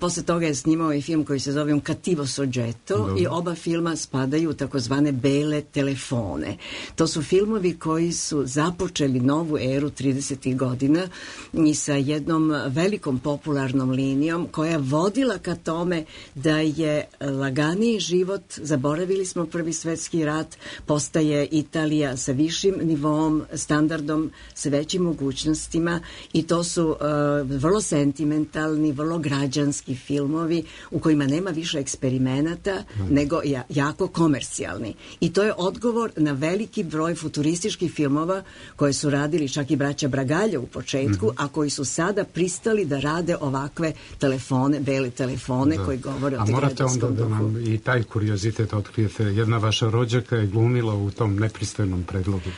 posle toga je snimao i film koji se zove Un cattivo soggetto. Dobre. I oba filma spadaju u takozvane bele telefone. To su filmovi koji su započeli novu eru 30. godina i sa jednom velikom popularnom linijom koja je vodila ka tome da je laganiji život, zaboravili smo Prvi svetski rat, postaje Italija sa višim nivom, standardom, sa većim mogućnostima i to su vrlo sentimentalni, vrlo građanski filmovi u kojima nema više eksperimenata nego jako komercijalni. I to je odgovor na veliki broj futurističkih filmova koje su radili čak i braća Bragalja u početku, a koji su sada pristali da rade ovakve telefone, bele telefone koji govore o građanskom duhu. A morate onda da nam i taj kuriozitet otkrijete. Jedna vaša rođaka je glumila u tom nepristojnom predlogu.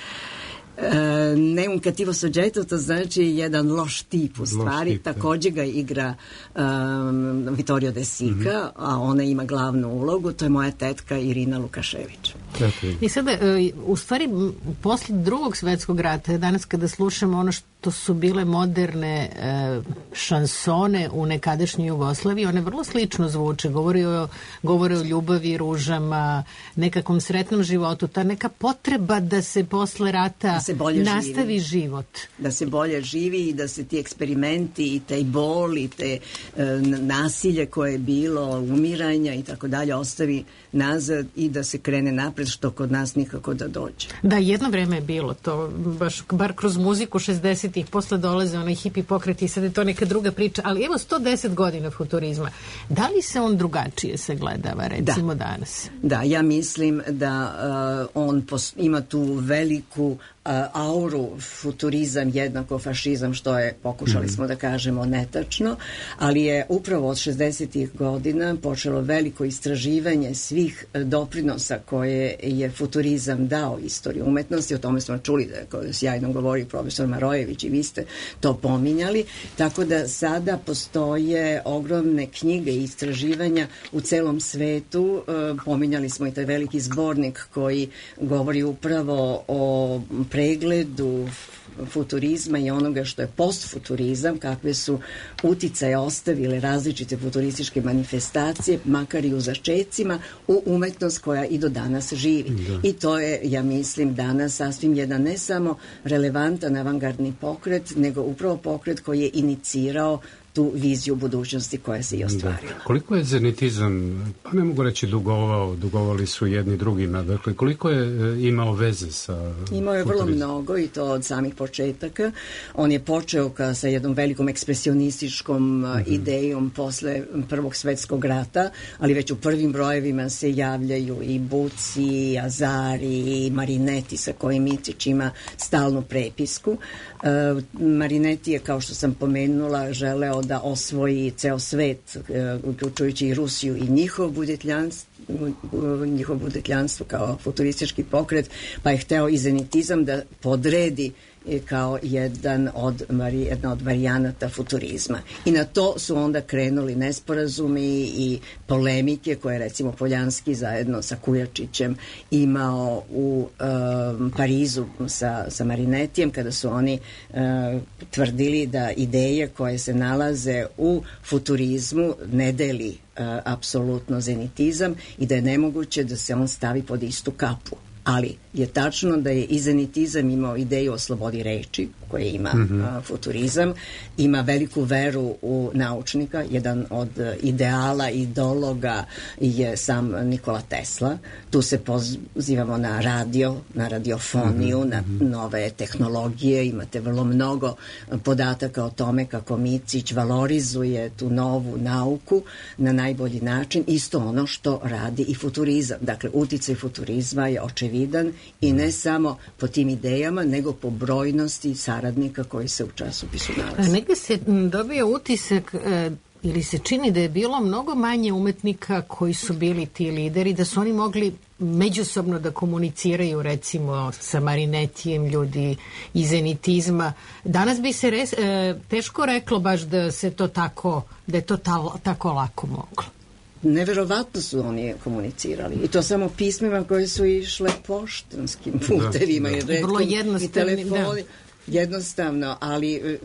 Ne un cattivo soggetto, to znači jedan loš tip u stvari, također ga igra Vittorio De Sica, a ona ima glavnu ulogu, to je moja tetka Irina Lukašević. I sada, u stvari, poslije Drugog svjetskog rata, danas kada slušamo ono što su bile moderne šansone u nekadašnjoj Jugoslaviji, one vrlo slično zvuče, govore o ljubavi, ružama, nekakvom sretnom životu, ta neka potreba da se posle rata nastavi život. Da se bolje živi i da se ti eksperimenti i taj bol i te nasilje koje je bilo, umiranja i tako dalje ostavi nazad i da se krene napred, što kod nas nikako da dođe. Da, jedno vreme je bilo to, baš bar kroz muziku 60-ih, posle dolaze onaj hipi pokret i sad je to neka druga priča, ali evo 110 godina futurizma. Da li se on drugačije sagledava, recimo danas? Da, ja mislim da on ima tu veliku auru, futurizam jednako fašizam, što je, pokušali smo da kažemo, netačno, ali je upravo od 60-ih godina počelo veliko istraživanje svih doprinosa koje je futurizam dao istoriji umetnosti. O tome smo čuli da je sjajno govorio profesor Marojević i vi ste to pominjali, tako da sada postoje ogromne knjige i istraživanja u celom svetu. Pominjali smo i taj veliki zbornik koji govori upravo o pregledu futurizma i onoga što je postfuturizam, kakve su uticaje ostavile različite futurističke manifestacije, makar i u začecima, u umetnost koja i do danas živi. I to je, ja mislim, danas sasvim jedan ne samo relevantan avangardni pokret, nego upravo pokret koji je inicirao tu viziju budućnosti koja se i ostvarila. Da. Koliko je zenitizam, pa ne mogu reći dugovali su jedni drugima, dakle koliko je imao veze sa Imao je vrlo mnogo i to od samih početaka. On je počeo sa jednom velikom ekspresionističkom idejom posle Prvog svetskog rata, ali već u prvim brojevima se javljaju i Bucci, i Azari, i Marinetti sa kojim Micić ima stalnu prepisku. Marinetti je, kao što sam pomenula, želeo da osvoji ceo svet, uključujući i Rusiju i njihovo budetljanstvo kao futuristički pokret, pa je hteo i zenitizam da podredi kao jedna od varijanata futurizma. I na to su onda krenuli nesporazumi i polemike koje recimo Poljanski zajedno sa Kujačićem imao u Parizu sa Marinettijem, kada su oni tvrdili da ideje koje se nalaze u futurizmu ne deli apsolutno zenitizam i da je nemoguće da se on stavi pod istu kapu. Ali je tačno da je i zenitizam imao ideju o slobodi reči, koje ima futurizam, ima veliku veru u naučnika. Jedan od ideala, ideologa je sam Nikola Tesla. Tu se pozivamo na radio, na radiofoniju, na nove tehnologije. Imate vrlo mnogo podataka o tome kako Micić valorizuje tu novu nauku na najbolji način. Isto ono što radi i futurizam. Dakle, uticaj futurizma je očevidan i ne samo po tim idejama, nego po brojnosti saradnika koji se u časopisu nalaze. Negde se dobio utisak ili se čini da je bilo mnogo manje umetnika koji su bili ti lideri, da su oni mogli međusobno da komuniciraju recimo sa Marinettijem, ljudi iz zenitizma. Danas bi se teško reklo baš da se to tako, da je to tako lako moglo. Neverovatno su oni komunicirali i to samo pismima koje su išle poštanskim putevima i telefoni. Jednostavno, ali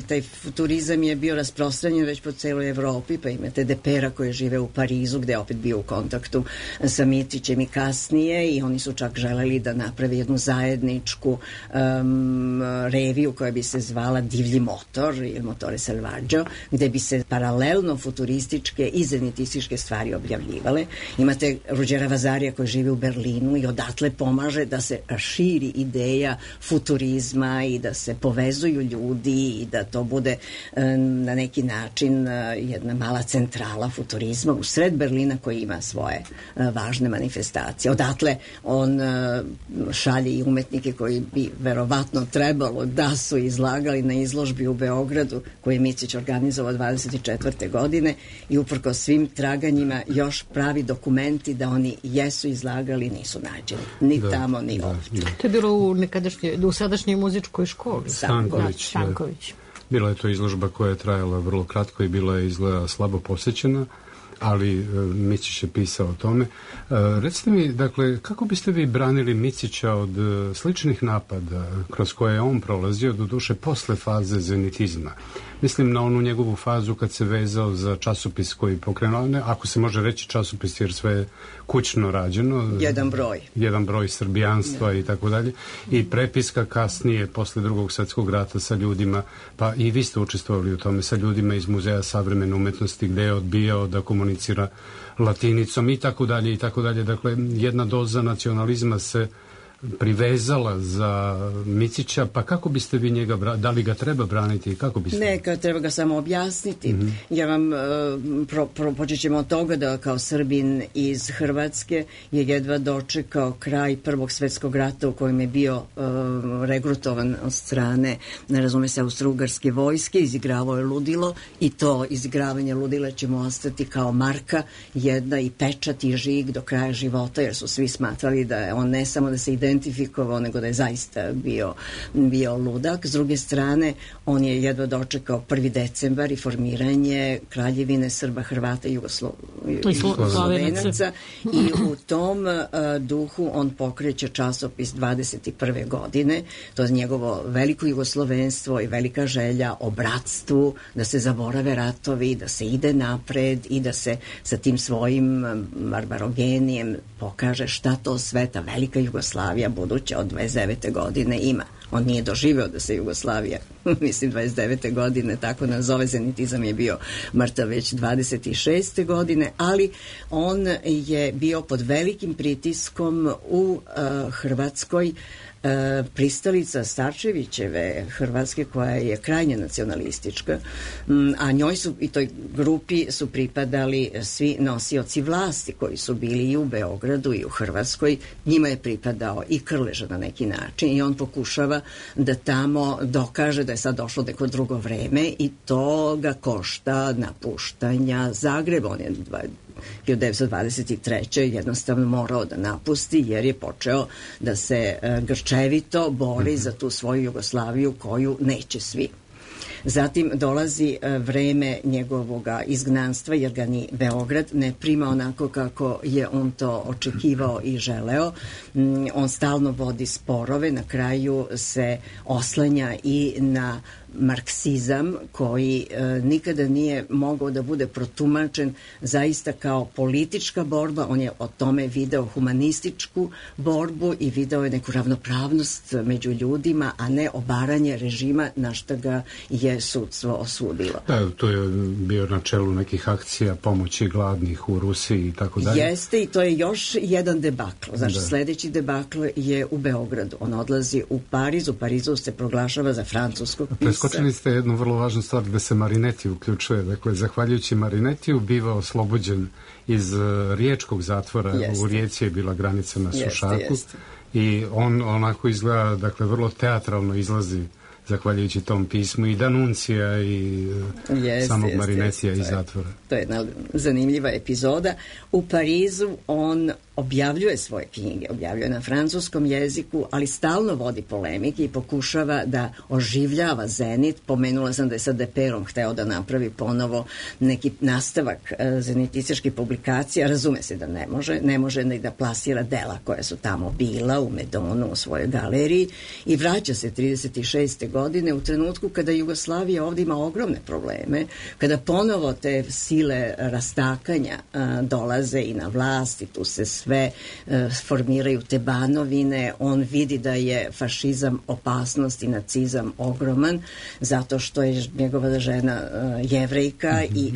taj futurizam je bio rasprostranjen već po celoj Evropi, pa imate Depera koji žive u Parizu, gde je opet bio u kontaktu sa Micićem i kasnije, i oni su čak želeli da naprave jednu zajedničku reviju koja bi se zvala Divlji motor ili Motore Selvaggio, gde bi se paralelno futurističke i zenitističke stvari objavljivale. Imate Ruđera Vazarija koji živi u Berlinu i odatle pomaže da se širi ideja futurizma i da se povezuju ljudi i da to bude na neki način jedna mala centrala futurizma u sred Berlina koji ima svoje važne manifestacije. Odatle on šalje i umetnike koji bi verovatno trebalo da su izlagali na izložbi u Beogradu koju je Micić organizovao 24. godine i uprkos svim traganjima još pravi dokumenti da oni jesu izlagali, nisu nađeni. Ni tamo, ni ovdje. To je bilo u sadašnjoj muzičkoj školi. Stanković. Bila je to izložba koja je trajala vrlo kratko i bila je izgleda slabo posećena, ali Micić je pisao o tome. Recite mi, dakle, kako biste vi branili Micića od sličnih napada kroz koje je on prolazio, doduše posle faze zenitizma? Mislim na onu njegovu fazu kad se vezao za časopis koji pokrenuo, ako se može reći časopis jer sve je kućno rađeno. Jedan broj srbijanstva i tako dalje. I prepiska kasnije, posle Drugog svjetskog rata sa ljudima, pa i vi ste učestvovali u tome, sa ljudima iz Muzeja savremene umetnosti gde je odbijao da komunicira latinicom i tako dalje i tako dalje. Dakle, jedna doza nacionalizma se privezala za Micića, pa kako biste vi njega, da li ga treba braniti i kako biste? Ne, treba ga samo objasniti. Ja vam počet ćemo od toga da kao Srbin iz Hrvatske je jedva dočekao kraj Prvog svjetskog rata u kojem je bio regrutovan od strane, ne razume se, austrougarske vojske, izigravao je ludilo i to izigravanje ludila će mu ostati kao marka jedna i pečat i žig do kraja života, jer su svi smatrali da je on ne samo da se identifikovao, nego da je zaista bio ludak. S druge strane, on je jedva dočekao 1. decembar i formiranje Kraljevine Srba, Hrvata i Slovenaca i u tom duhu on pokreće časopis 21. godine. To je njegovo veliko jugoslovenstvo i velika želja o bratstvu, da se zaborave ratovi, da se ide napred i da se sa tim svojim barbarogenijem pokaže šta to sve ta velika Jugoslavija buduća od 29. godine ima. On nije doživeo da se Jugoslavija, mislim 29. godine, tako nazove, zenitizam je bio mrtav već 26. godine, ali on je bio pod velikim pritiskom u Hrvatskoj, pristalica Starčevićeve Hrvatske, koja je krajnje nacionalistička, a njoj su i toj grupi su pripadali svi nosioci vlasti koji su bili i u Beogradu i u Hrvatskoj. Njima je pripadao i Krleža na neki način i on pokušava da tamo dokaže da je sad došlo neko drugo vreme i to ga košta napuštanja Zagreba. On je 1923. jednostavno morao da napusti jer je počeo da se grčevito bori za tu svoju Jugoslaviju koju neće svi. Zatim dolazi vreme njegovog izgnanstva jer ga ni Beograd ne prima onako kako je on to očekivao i želeo. On stalno vodi sporove, na kraju se oslanja i na marksizam koji nikada nije mogao da bude protumačen zaista kao politička borba. On je o tome video humanističku borbu i video je neku ravnopravnost među ljudima, a ne obaranje režima na što ga je sudstvo osudilo. Da, to je bio na čelu nekih akcija pomoći gladnih u Rusiji i tako dalje. Jeste, i to je još jedan debakl. Znači, sledeći debakl je u Beogradu. On odlazi u Pariz. U Parizu se proglašava za francuskog pisca. Preskočili ste jednu vrlo važnu stvar da se Marinetti uključuje. Dakle, zahvaljujući Marinettiju biva oslobođen iz riječkog zatvora. U Rijeci je bila granica na Sušaku. I on onako izgleda, dakle, vrlo teatralno izlazi zahvaljujući tom pismu i Danuncija i samog Marinettija iz zatvora. To je jedna zanimljiva epizoda. U Parizu on objavljuje svoje knjige, objavljuje na francuskom jeziku, ali stalno vodi polemike i pokušava da oživljava Zenit. Pomenula sam da je sa Deperom hteo da napravi ponovo neki nastavak zenitističkih publikacija. Razume se da ne može ni da plasira dela koja su tamo bila u Medonu u svojoj galeriji i vraća se 36. godine u trenutku kada Jugoslavija ovdje ima ogromne probleme, kada ponovo te sile rastakanja dolaze i na vlast i tu se sve formiraju te banovine. On vidi da je fašizam opasnost i nacizam ogroman zato što je njegova žena Jevrejka i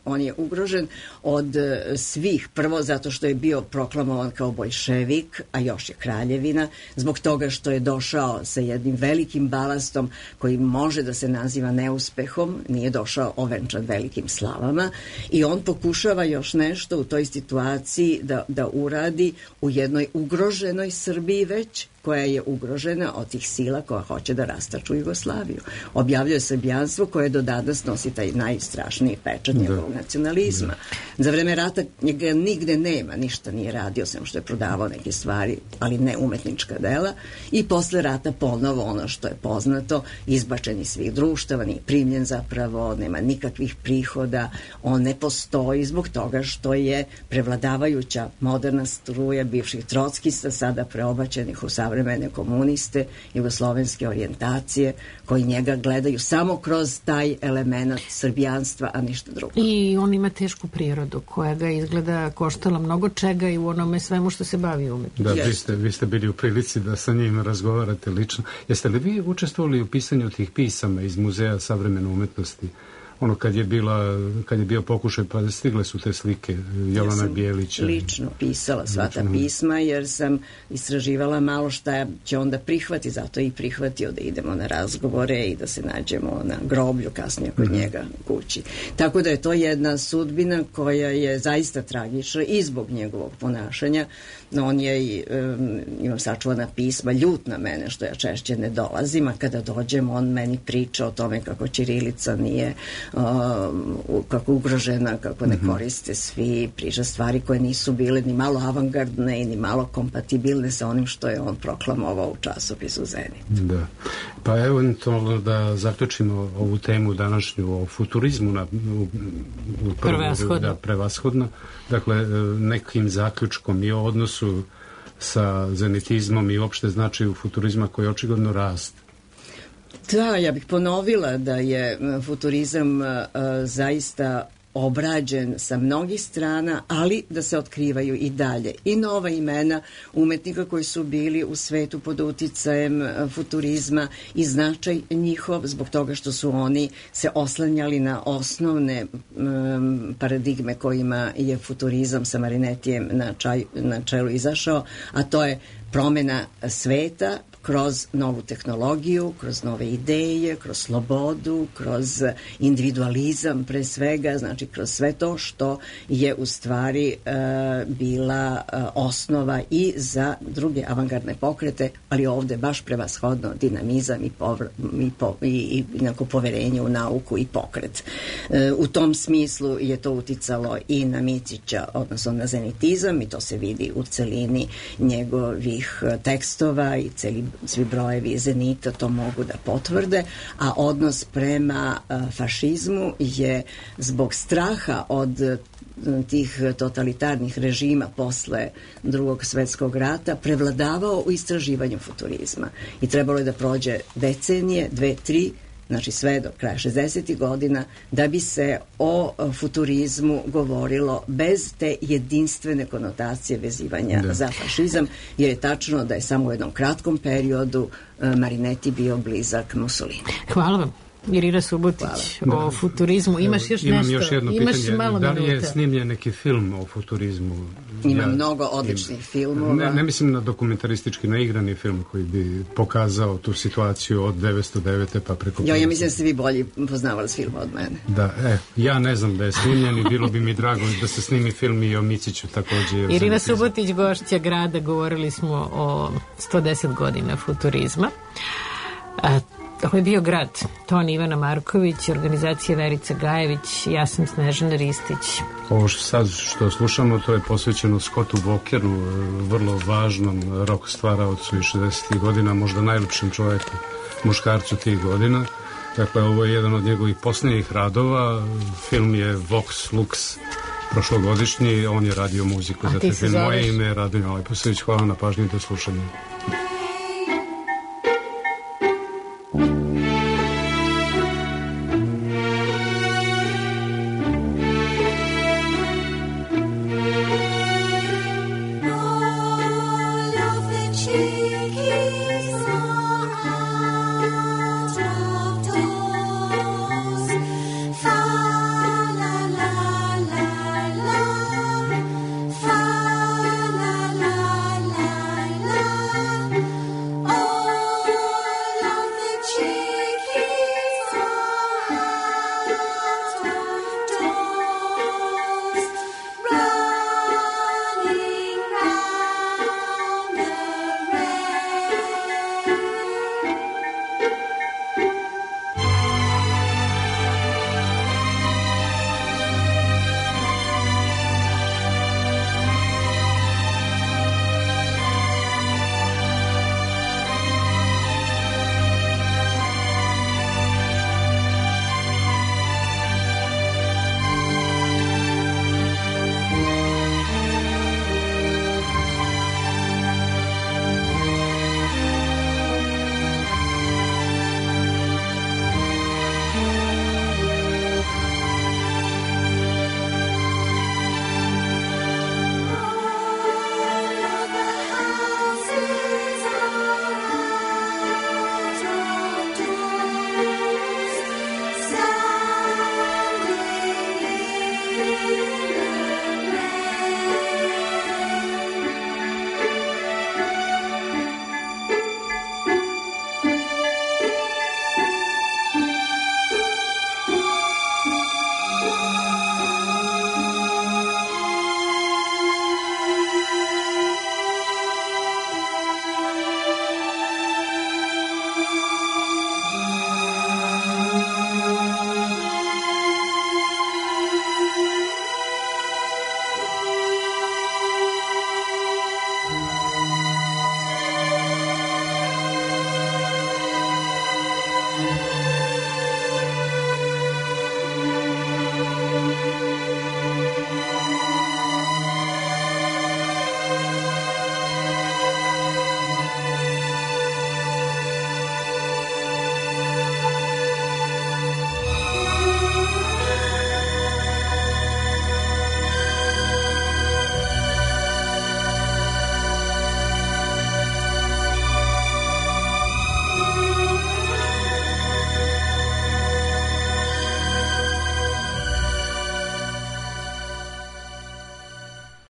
on je ugrožen od svih. Prvo zato što je bio proklamovan kao boljševik, a još je kraljevina, zbog toga što je došao sa jednim velikim balastom koji može da se naziva neuspehom, nije došao ovenčan velikim slavama i on pokušava još nešto u toj situaciji da uradi u jednoj ugroženoj Srbiji već, koja je ugrožena od tih sila koja hoće da rastaču Jugoslaviju. Objavljuje srbijanstvo koje do danas nosi taj najstrašniji pečat njegovog nacionalizma. Za vreme rata njega nigde nema, ništa nije radio, sem što je prodavao neke stvari, ali ne umetnička dela. I posle rata ponovo ono što je poznato, izbačen iz svih društava, nije primljen zapravo, nema nikakvih prihoda, on ne postoji zbog toga što je prevladavajuća moderna struja bivših trockista, sada preobačenih u savremene komuniste, jugoslovenske orijentacije, koji njega gledaju samo kroz taj element srbijanstva, a ništa drugo. I on ima tešku prirodu koja ga izgleda koštala mnogo čega i u onome svemu što se bavi umetnosti. Da, vi ste bili u prilici da sa njim razgovarate lično. Jeste li vi učestvovali u pisanju tih pisama iz Muzeja savremene umetnosti? Ono kad je bio pokušaj, pa stigle su te slike Jovana Bijelića. Lično pisala sva ta pisma jer sam istraživala malo šta će onda prihvati, zato i prihvatio da idemo na razgovore i da se nađemo na groblju kasnije kod njega kući. Tako da je to jedna sudbina koja je zaista tragična i zbog njegovog ponašanja. On je, imam sačuvana pisma, ljut na mene što ja češće ne dolazim, a kada dođem on meni priča o tome kako ćirilica nije kako ugrožena, kako ne koriste svi, priča stvari koje nisu bile ni malo avangardne i ni malo kompatibilne sa onim što je on proklamovao u časopisu Zenit. Da. Pa eventualno da zaključimo ovu temu današnju o futurizmu prevashodno. Dakle, nekim zaključkom i o odnosu sa zenitizmom i uopšte značaju futurizma koji očigledno raste. Da, ja bih ponovila da je futurizam zaista obrađen sa mnogih strana, ali da se otkrivaju i dalje i nova imena umetnika koji su bili u svetu pod uticajem futurizma i značaj njihov zbog toga što su oni se oslanjali na osnovne paradigme kojima je futurizam sa Marinettijem na čelu izašao, a to je promena sveta kroz novu tehnologiju, kroz nove ideje, kroz slobodu, kroz individualizam pre svega, znači kroz sve to što je u stvari bila osnova i za druge avangardne pokrete, ali ovde baš prevashodno dinamizam i poverenje u nauku i pokret. U tom smislu je to uticalo i na Micića, odnosno na zenitizam, i to se vidi u celini njegovih tekstova i svi brojevi Zenita to mogu da potvrde, a odnos prema fašizmu je zbog straha od tih totalitarnih režima posle Drugog svetskog rata prevladavao u istraživanju futurizma. I trebalo je da prođe decenije, 2, 3, znači sve do kraja 60. godina, da bi se o futurizmu govorilo bez te jedinstvene konotacije vezivanja za fašizam, jer je tačno da je samo u jednom kratkom periodu Marinetti bio blizak Mussolini. Hvala vam. Irina Subotić, o futurizmu. Imaš još Imam nešto? Još jedno pitanje. Da li je snimljen neki film o futurizmu? Ima mnogo odličnih filmova. Ne mislim na dokumentaristički, na igrani film koji bi pokazao tu situaciju od 909. pa preko... Ja mislim da ste vi bolji poznavali s filma od mene. Da, ja ne znam da je snimljen i bilo bi mi drago da se snimi film i o Miciću također. Irina Subotić, gošća Grada, govorili smo o 110 godina futurizma. Ovo je bio Grad, ton Ivana Marković, organizacija Verica Gajević, ja sam Snežana Ristić. Ovo što slušamo, to je posvećeno Scottu Walkeru, vrlo važnom rock stvaraocu iz 60. godina, možda najlepšem čovjeku, muškarcu tih godina. Dakle, ovo je jedan od njegovih posljednjih radova, film je Vox Lux, prošlogodišnji, on je radio muziku za te film. Moje ime je Radonja Leposević, hvala na pažnji i do slušanja.